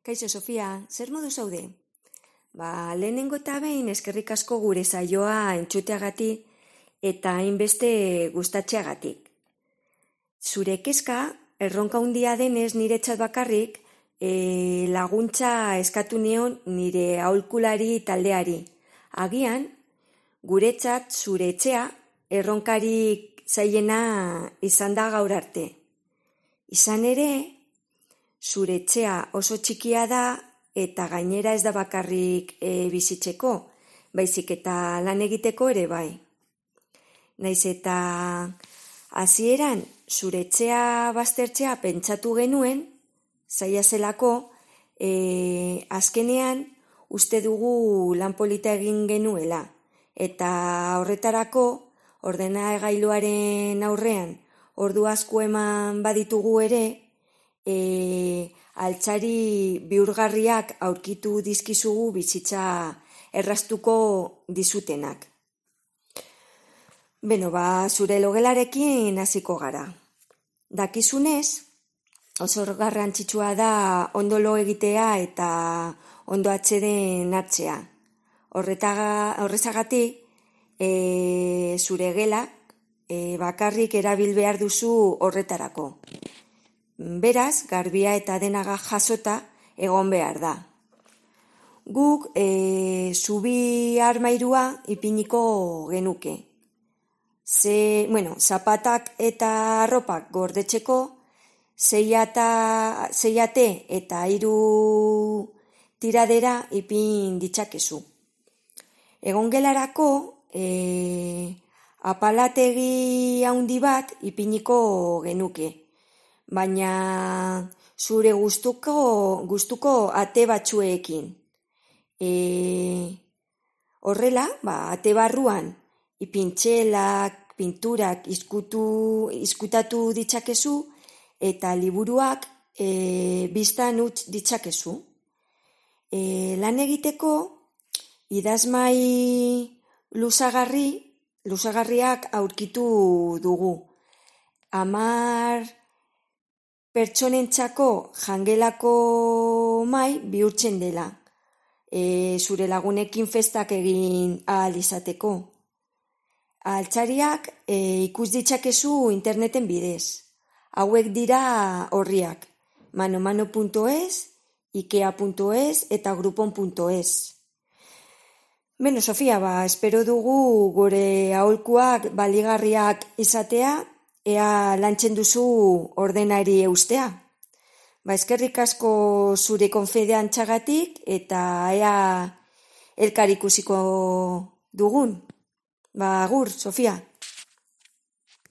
Kaixo, Sofia, zer modu zaude? Lehenengo eta behin eskerrik asko gure saioa entzuteagatik eta hainbeste gustatzeagatik. Zure kezka, erronka handia denez niretzat bakarrik, laguntza eskatu nion nire aholkulari taldeari. Agian, guretzat zure etxea erronkarik zailena izan da gaur arte. Izan ere, zure etxea oso txikia da eta gainera ez da bakarrik bizitzeko, baizik eta lan egiteko ere bai. Naiz eta hasieran zure etxea baztertzea pentsatu genuen, zaila zelako, azkenean uste dugu lan polita egin genuela. Eta horretarako ordenagailuaren aurrean ordu asko eman baditugu ere, altzari bihurgarriak aurkitu dizkizugu bizitza erraztuko dizutenak. Zure logelarekin hasiko gara. Dakizunez, oso garrantzitsua da ondo lo egitea eta ondo atseden hartzea. Horrezagatik, zure gelak bakarrik erabil behar duzu horretarako. Beraz, garbia eta denaga jasota egon behar da. Guk zubi armairua ipiniko genuke. Zapatak eta arropak gordetzeko, zeiate eta 3 tiradera ipin ditzakezu. Egongelarako apalategi handi bat ipiniko genuke. Baina zure gustuko ate batzuekin. Horrela, ate barruan ipintxelak, pinturak izkutatu ditzakezu eta liburuak biztan utz ditzakezu. Lan egiteko idazmai luzagarriak aurkitu dugu. 10 pertsonentzako jangelako mai bihurtzen dela, zure lagunekin festak egin ahal izateko. Altzariak ikus ditzakezu interneten bidez. Hauek dira orriak, manomano.es, ikea.es eta grupon.es. Sofia, espero dugu gure aholkuak baligarriak izatea, ea lantzen duzu ordenari eustea. Eskerrik asko zure konfidantzagatik eta ea elkar ikusiko dugun. Agur, Sofia.